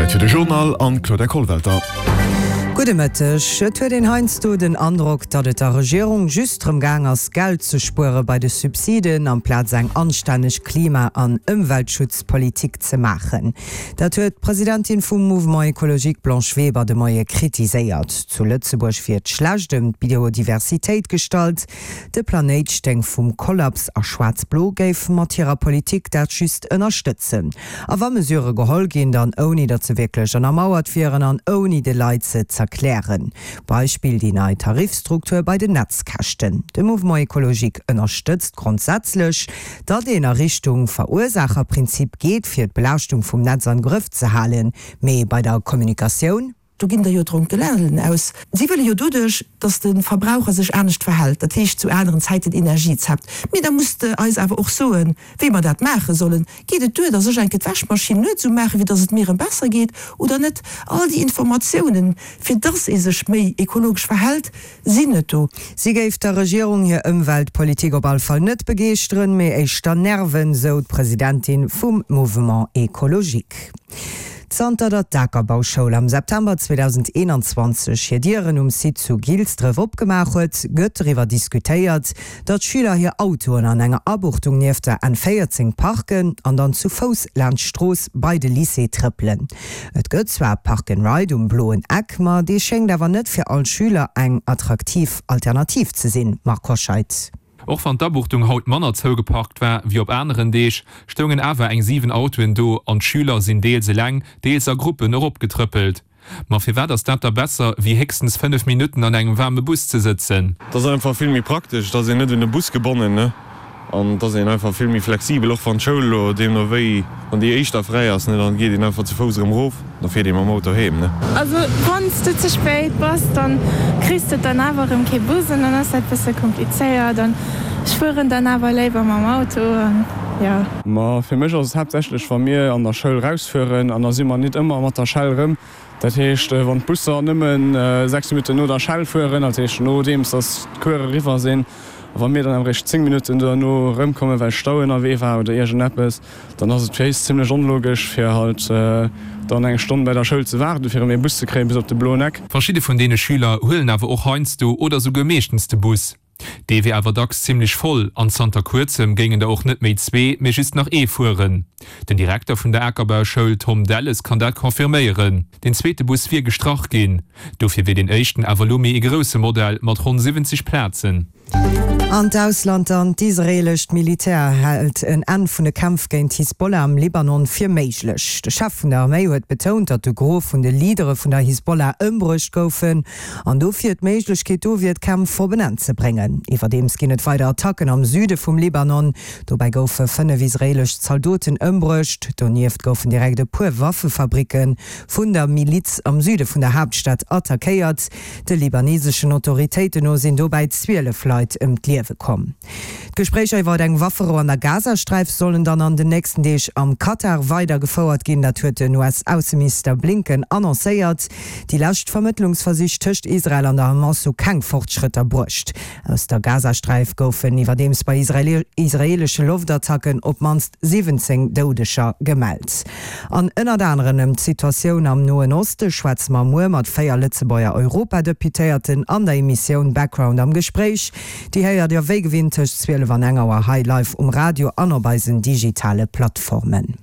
Zäit fir de Journal an d'Claudia Kollwelter. Gudde Mëtteg. Et huet een heiansdo den Androck, datt et der Regierung just drëm gaang ass, Geld ze spuere bei de Subsiden, amplaz eng anstänneg Klima an Ëmweltschutzpolitik ze maachen. Dat huet d'Presidentin vum Mouvement Ecologique Blanche Weber de Moie kritiséiert. Zu Lëtzebuerg wier et schlecht ëm d'Biodiversitéit gestallt. De Planéit stéing vum Kollaps a Schwaarz-Blo géif mat hirer Politik dat just ënnerstëtzen. A wa Mesurë geholl ginn, dann ouni datt se wierklech ënnermauert wieren an ouni de Leit se z'erklären. Beispill déi nei Tarifstruktur bei den Netzkäschten. De Mouvement Ecologique ënnerstëtzt grondsätzlech, datt een a Richtung Verursaacherprinzip geet, fir d'Belaaschtung vum Netz am Grëff ze halen, mee bei der Kommunikatioun, Do ginn der jo Dronkelalen aus. Si wëlle jo doduerch, dass de Verbraucher sech anescht verhält, dat heescht zu aneren Zäiten Energie zappt. Mee da musst de eis awer och soen, wéi mer dat maache sollen. Geet et duer, dass ech enke d'Wäschmaschinn nuets umaachen, fir dass et mir erëm besser geet, oder net? All déi Informatiounen, fir dass ee sech méi ekologesch verhält, sinn net do. Si géif der Regierung hir Ëmweltpolitik op all Fall net begeeschteren, mee éischter nerven, sou d'Presidentin vum Mouvement Ecologique. Zanter datt d'Akerbauschoul am September 2021 hir Dieren um Site zu Gilsdref opgemaach huet, gëtt doriwwer diskutéiert, datt d'Schüler hir Autoen an enger Abuchtung nieft der N 14 parken an dann zu Fouss laanscht d'Strooss bei de Lycée trëppelen. Et gëtt zwar Park and Ride um Bloen Eck, ma dee schéngt awer net fir all Schüler eng attraktiv Alternativ ze sinn. Marc Hoscheid. Och wann d'Abuchtung haut manner zougeparkt war wéi op aneren Deeg, stoungen awer eng 7 Autoen do an d'Schüler sinn deels eleng, deels a Gruppen eropgetrëppelt. Ma firwat ass dat da besser wéi héchstens 5 Minutten an engem waarme Bus ze sëtzen? Et ass einfach vill méi praktesch, et ass een net un e Bus gebonnen, ne, an et ass een einfach vill méi flexibel, och wann d'Schoul elo deemno wéi, wann déi éischter fräi ass, ne, dann geet een einfach zu Fouss erëm erof. Da fiert ee mam Auto heem, ne? Also wann s de ze spéit bass, dann kriss de dann awer erëm kee Bus an dann ass dat bësse komplizéiert an ech fueren dann awer léiwer mam Auto an jo. Ma fir mech ass et haaptsächlech wa mir an der Schoul rausfueren an da si mer nit ëmmer mat der Schell rëm. Dat heescht wann d'Busser nëmmen 6 Minutten no der Schell fueren, dat heescht nodeems datt d'Cours eriwwer sinn, a wa mir dann awer eréischt 10 Minutten duerno erëmkommen, well Stau ënnerwee war oder iergendeppes, Dann ass et fir éis zimlech onlogesch fir halt dann eng Stonn bei der Schoul ze waarden fir erëm ee Bus ze kréien bis op de Bloen Eck. Verschidde vun deene Schüler huelen awer och heiansdo oder souguer meeschtens de Bus. Dee wier awer dacks zimlech voll an zanter kuerzem géingen der och net méi zwee, mee just nach ee fueren. Den Direkter vun der Akerbauschoul Tom Delles kann dat confirméieren. Den zweete Bus wier gestrach ginn. Dofir wier deen éischten awer elo méi ee grousse Modell mat ronn 70 Plazen. An d'Ausland dann, D'israeelescht Militär hält en Enn vun de Kämpf géint d'Hisbollah am Libanon fir méiglech. De Chef vun der Arméi huet betount, datt de Gros vun de Leadere vun der Hisbollah ëmbruecht goufen an dofir d'Méiglechkeet do wier, d'Kämpf op en Enn ze bréngen. Iwwerdeems ginn et weider Attacken am Süde vum Libanon. Dobäi goufe 5 israeelesch Zaldoten ëmbruecht. Donieft goufen direkt e puer Waffefabricke vun der Miliz am Süde vun der Haaptstad attackéiert. De libaneseschen Autoritéiten no sinn dobäi 12 Leit ëm d'Liewe komm. D'Gespréicher iwwer eng Wafferou an der Gazasträif sollen dann an den nächsten Deeg am Katar weider gefouert ginn. Dat huet den US-Ausseminister Blinken annoncéiert. Déi lescht Vermëttlungsversich tëscht Israel an der Hamas hu keng Fortschrëtter bruecht. Aus der Gazasträif goufen iwwerdeems bei israeelesche Loftattacken op d'mannst 17 Doudeger gemellt. An ënnert aneren ëm d'Situatioun am Noen Oste schwätze mer muer mat 4 Lëtzebuerger Europadeputéierten an der Emissioun Background am Gespréich. Déi héiert Dir wéi gewinnt tëscht 12 an eng Auer hei live um Radio an op eisen digitale Plattformen.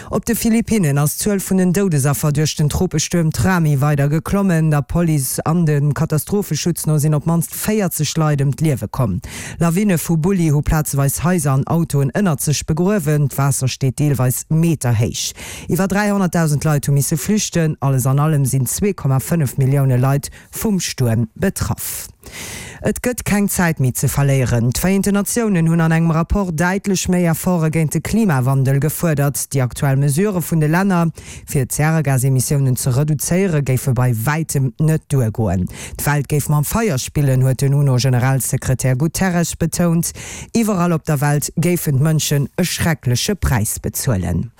Op de Philippinnen ass d'Zuel vun den Doudesaffer duerch den Tropestuerm Trami weider geklommen. Der Police an dem Katastropheschutz no sinn op d'mannst 40 Leit ëm d'Liewe komm. Lawine vu Bulli hu plazeweis Haiser an Autoen ënnert sech begruewen. D'Waasser steet deelweis meterhéich. Iwwer 300.000 Leit hu misse flüchten. Alles an allem sinn 2,5 Millioune Leit vum Stuerm betraff. Et gëtt keng Zäit méi ze verléieren. D'Vereenten Natiounen hunn an engem Rapport däitlech méi Efforte géint de Klimawandel gefuerdert. Déi aktuell Mesurë vun de Länner, fir d'Zäregasemissiounen ze reduzéiere géife bei wäitem net duergoen. D'Welt géif mam Feier spillen, huet den UNO-Generalsekretär Guterres betount. Iwwerall op der Welt géifen d'Mënschen e schreckleche Präis bezuelen.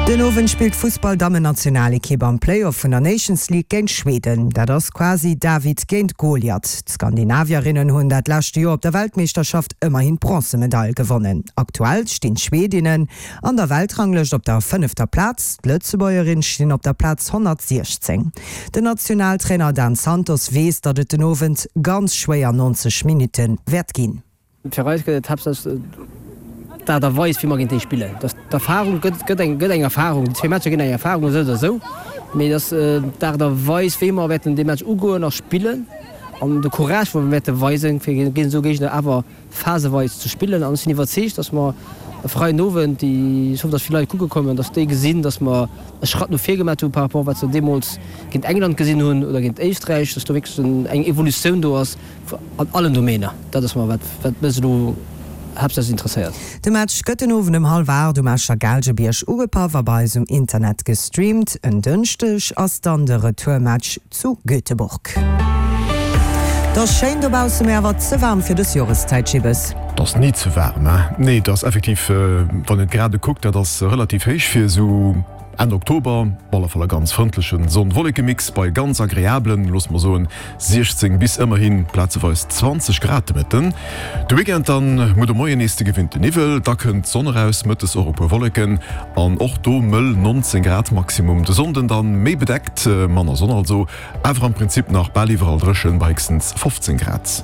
Den Owend spillt d'Fussball-Dammennationalekipp am Play-Off vun der Nations League géint Schweden. Dat ass quasi David géint Goliath. D'Skandinavierinnen hunn dat leschte Joer op der Weltmeeschterschaft ëmmerhin d'Bronzemedail gewonnen. Aktuell stinn d'Schwedinnen an der Weltranglëscht op der fënnefter Plaz, d'Lëtzebuergerin stinn op der Plaz 116. Den Nationaltrainer Dan Santos weess, datt et den Owend ganz schwéier 90 Minutte wäert ginn. Fir eis gëtt et haaptsächlech d'Aart a Weis, wéi mer géint déi spillen. Dass d'Erfarung gëtt, gëtt eng, gëtt eng Erfarung. Déi zwee Matcher ginn eng Erfarung, esou oder esou. Mee et ass d'Aart a Weis, wéi mer wäerten dee Match ugoen a spillen an de Courage, wou mer wäerte weisen, fir géint esou Géigner awer phaseweis ze spillen. An ech sinn iwwerzeegt, dass mer e Freiden Owend, déi, ech hoffen, dass vill Leit kucke kommen, dass déi gesinn, dass mer e Schratt no vir gemaat hu par rapport wat se deemools géint England gesinn hunn oder géint Éisträich, dass do wierklech eng Evolutioun do ass. An allen Domainer. Dat ass mer wat wat mech elo haaptsächlech interesséiert. De Match gëtt den Owend ëm hallwer 8 um Escher Gaalgebierg ugepaff a bei eis um Internet gestreamt. En Dënschdeg ass dann de Retourmatch zu Göteborg. Et ass schéin dobaussen, mee awer ze waarm fir dës Joreszäit, Jibbes. Et ass ni ze waarm, hein? Nee, et ass effektiv, wann een d'Grade kuckt, dat ass relativ héich fir esou. Enn Oktober op alle Fall e ganz frëndlechen Sonn-Wolleke-Mix bei ganz agreablen, loosse mer soen 16 bis ëmmerhi plazeweis 20 Grad de Mëtten. De Weekend dann muer de Moien nees de gewinnte Niwwel, da kënnt d'Sonn eraus, mëttes och e puer Wolleken an och do mëll 19 Grad Maximum. De Sonnden dann méi bedeckt, manner Sonn also, awer am Prinzip nach bal iwwerall dréchen bei héchstens 15 Grad.